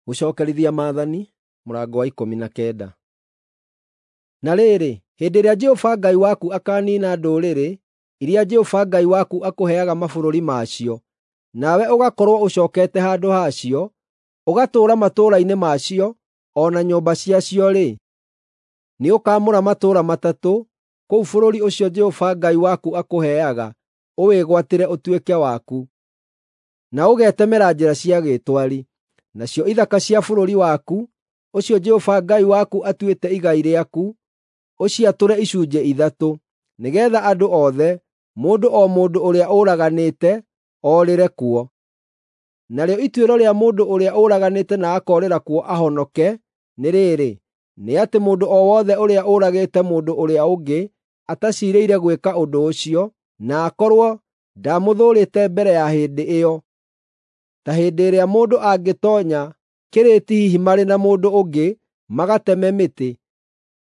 Gũcookerithia Maathani mũrango wa 19. Na rĩrĩ, hĩndĩ ĩrĩa Jehova Ngai waku akaaniina ndũrĩrĩ iria Jehova Ngai waku akũheaga mabũrũri macio, nawe ũgakorwo ũcookete handũ hacio, ũgatũũra matũũra-inĩ macio o na nyũmba ciacio-rĩ, nĩũkamũra matũũra matatũ kũu bũrũri ũcio Jehova Ngai waku akũheaga ũwĩgwatĩre ũtuĩke waku. Na ũgetemera njĩra cia gĩtwari. Nacio ithaka cia bũrũri waku, ũcio Jehova Ngai waku atuĩte igai rĩaku, ũciatũre icunjĩ ithatũ, nĩgeetha andũ othe, mũndũ o mũndũ ũrĩa ũraganĩte, orĩre kuo. Narĩo ituĩro rĩa mũndũ ũrĩa ũraganĩte na akoorĩra kuo ahonoke nĩ rĩrĩ, nĩ atĩ mũndũ o wothe ũrĩa ũragĩte mũndũ ũrĩa ũngĩ ataciirĩire gwĩka ũndũ ũcio, na akorwo ndamũthũũrĩte mbere ya hĩndĩ ĩyo, ta hĩndĩ ĩrĩa mũndũ angĩtoonya kĩrĩti hihi marĩ na mũndũ ũngĩ magateme mĩtĩ,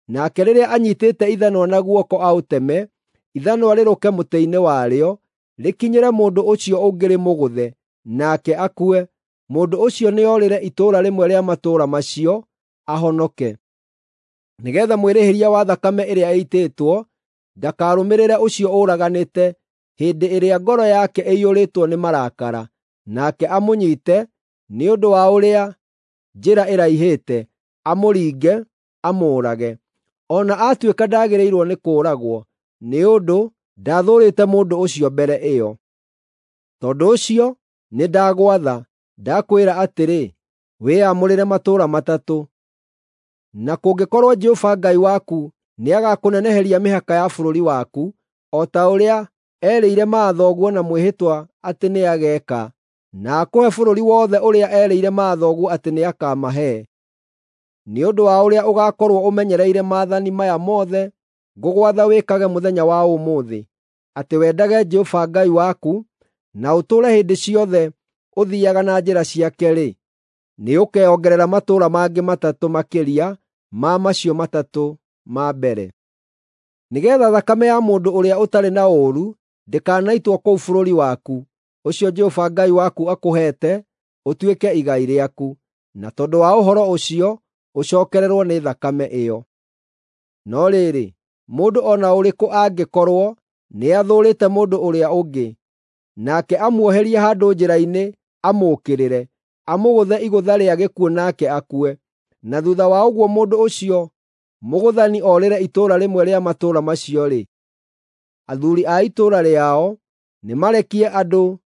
nake rĩrĩa anyiitĩte ithanwa na guoko aũteme, ithanwa rĩrũke mũtĩ-inĩ warĩo, rĩkinyĩre mũndũ ũcio ũngĩ rĩmũgũthe, nake akue, mũndũ ũcio nĩorĩre itũũra rĩmwe rĩa matũũra macio, ahonoke. Nĩgeetha mwĩrĩhĩria wa thakame ĩrĩa ĩitĩtwo ndakarũmĩrĩre ũcio ũraganĩte hĩndĩ ĩrĩa ngoro yake ĩiyũrĩtwo nĩ marakara, nake amũnyiite nĩ ũndũ wa ũrĩa njĩra ĩraihĩte, amũringe, amũũrage. O na atuĩka ndaagĩrĩirwo nĩ kũũragwo, nĩ ũndũ ndaathũũrĩte mũndũ ũcio mbere ĩyo. Tondũ ũcio nĩndagwatha, ndakwĩra atĩrĩ, wĩyamũrĩre matũũra matatũ. Na kũngĩkorwo Jehova Ngai waku nĩagakũneneheria mĩhaka ya bũrũri waku, o ta ũrĩa erĩire maathoguo na mwĩhĩtwa atĩ nĩageeka, na akũhe bũrũri wothe ũrĩa erĩire maathoguo atĩ nĩakamahe. Nĩ ũndũ wa ũrĩa ũgaakorwo ũmenyereire maathani maya mothe ngũgwatha wĩkage mũthenya wa ũmũthĩ, atĩ wendage Jehova Ngai waku, na ũtũũre hĩndĩ ciothe ũthiiaga na njĩra ciake-rĩ, nĩũkeongerera matũũra mangĩ matatũ makĩria ma macio matatũ ma mbere. Nĩgeetha thakame ya mũndũ ũrĩa ũtarĩ na ũũru ndĩkanaitwo kũu bũrũri waku, ũcio Jehova Ngai waku akũheete ũtuĩke igai rĩaku, na tondũ wa ũhoro ũcio ũcookererwo nĩ thakame ĩyo. No rĩrĩ, mũndũ o na ũrĩkũ angĩkorwo nĩathũũrĩte mũndũ ũrĩa ũngĩ, nake amuoherie handũ njĩra-inĩ amũũkĩrĩre, amũgũthe igũtha rĩa gĩkuũ nake akue, na thuutha wa ũguo mũndũ ũcio mũgũthani orĩre itũũra rĩmwe rĩa matũũra macio-rĩ, athuuri a itũũra rĩao nĩmarekie andũ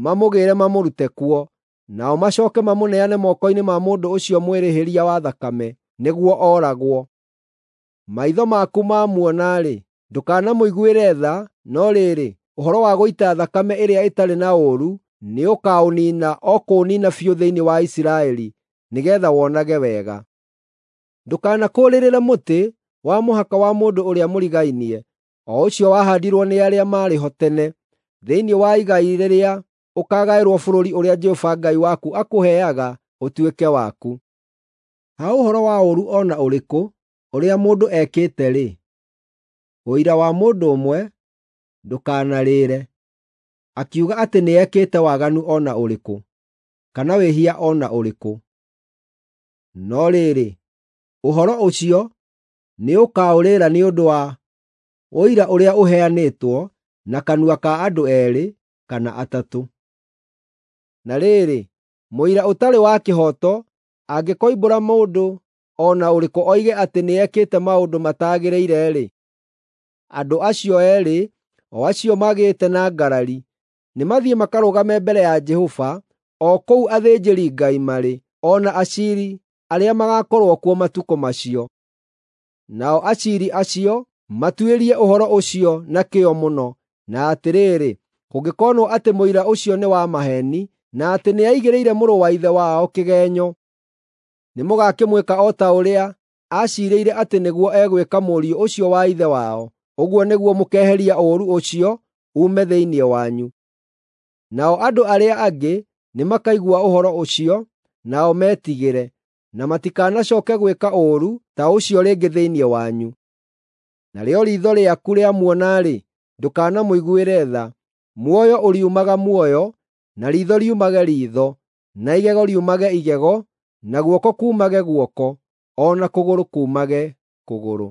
mamũgĩĩre mamũrute kuo, nao macooke mamũneane moko-inĩ ma mũndũ ũcio mwĩrĩhĩria wa thakame, nĩguo ooragwo. Maitho maku mamuona-rĩ, ndũkanamũiguĩre tha, no rĩrĩ, ũhoro wa gũita thakame ĩrĩa ĩtarĩ na ũũru nĩũkaũniina o kũũniina biũ thĩinĩ wa Isiraeli, nĩgeetha wonage wega. Ndũkanakũũrĩrĩre mũtĩ wa mũhaka wa mũndũ ũrĩa mũrigainie, o ũcio wahaandirwo nĩ arĩa maarĩ ho tene, thĩinĩ wa igai rĩrĩa ũkaagaĩrwo bũrũri ũrĩa Jehova Ngai waku akũheaga ũtuĩke waku. Ha ũhoro wa ũũru o na ũrĩkũ ũrĩa mũndũ ekĩte-rĩ, ũira wa mũndũ ũmwe ndũkanarĩre, akiuga atĩ nĩekĩte waganu o na ũrĩkũ, kana wĩhia o na ũrĩkũ. No rĩrĩ, ũhoro ũcio nĩũkaũrĩra nĩ ũndũ wa ũira ũrĩa ũheanĩtwo na kanua ka andũ eerĩ kana atatũ. Na rĩrĩ, mũira ũtarĩ wa kĩhooto angĩkoimbũra mũndũ o na ũrĩkũ oige atĩ nĩekĩte maũndũ mataagĩrĩire-rĩ, andũ acio eerĩ, o acio magĩte na ngarari, nĩmathiĩ makarũgame mbere ya Jehova o kũu athĩnjĩri-Ngai marĩ, o na aciiri arĩa magaakorwo kuo matukũ macio. Nao aciiri acio matuĩrie ũhoro ũcio na kĩyo mũno, na atĩrĩrĩ, kũngĩkonwo atĩ mũira ũcio nĩ wa maheeni, na atĩ nĩaigĩrĩire mũrũ wa ithe wao kĩgeenyo, nĩmũgakĩmwĩka o ta ũrĩa aciirĩire atĩ nĩguo egwĩka mũriũ ũcio wa ithe wao. Ũguo nĩguo mũkeeheria ũũru ũcio uume thĩinĩ wanyu. Nao andũ arĩa angĩ nĩmakaigua ũhoro ũcio, nao metigĩre, na matikanacooke gwĩka ũũru ta ũcio rĩngĩ thĩinĩ wanyu. Narĩo riitho rĩaku rĩamuona-rĩ, ndũkanamũiguĩre tha. Muoyo ũriumaga muoyo, na riitho riumage riitho, na igego riumage igego, na guoko kuumage guoko, o na kũgũrũ kuumage kũgũrũ.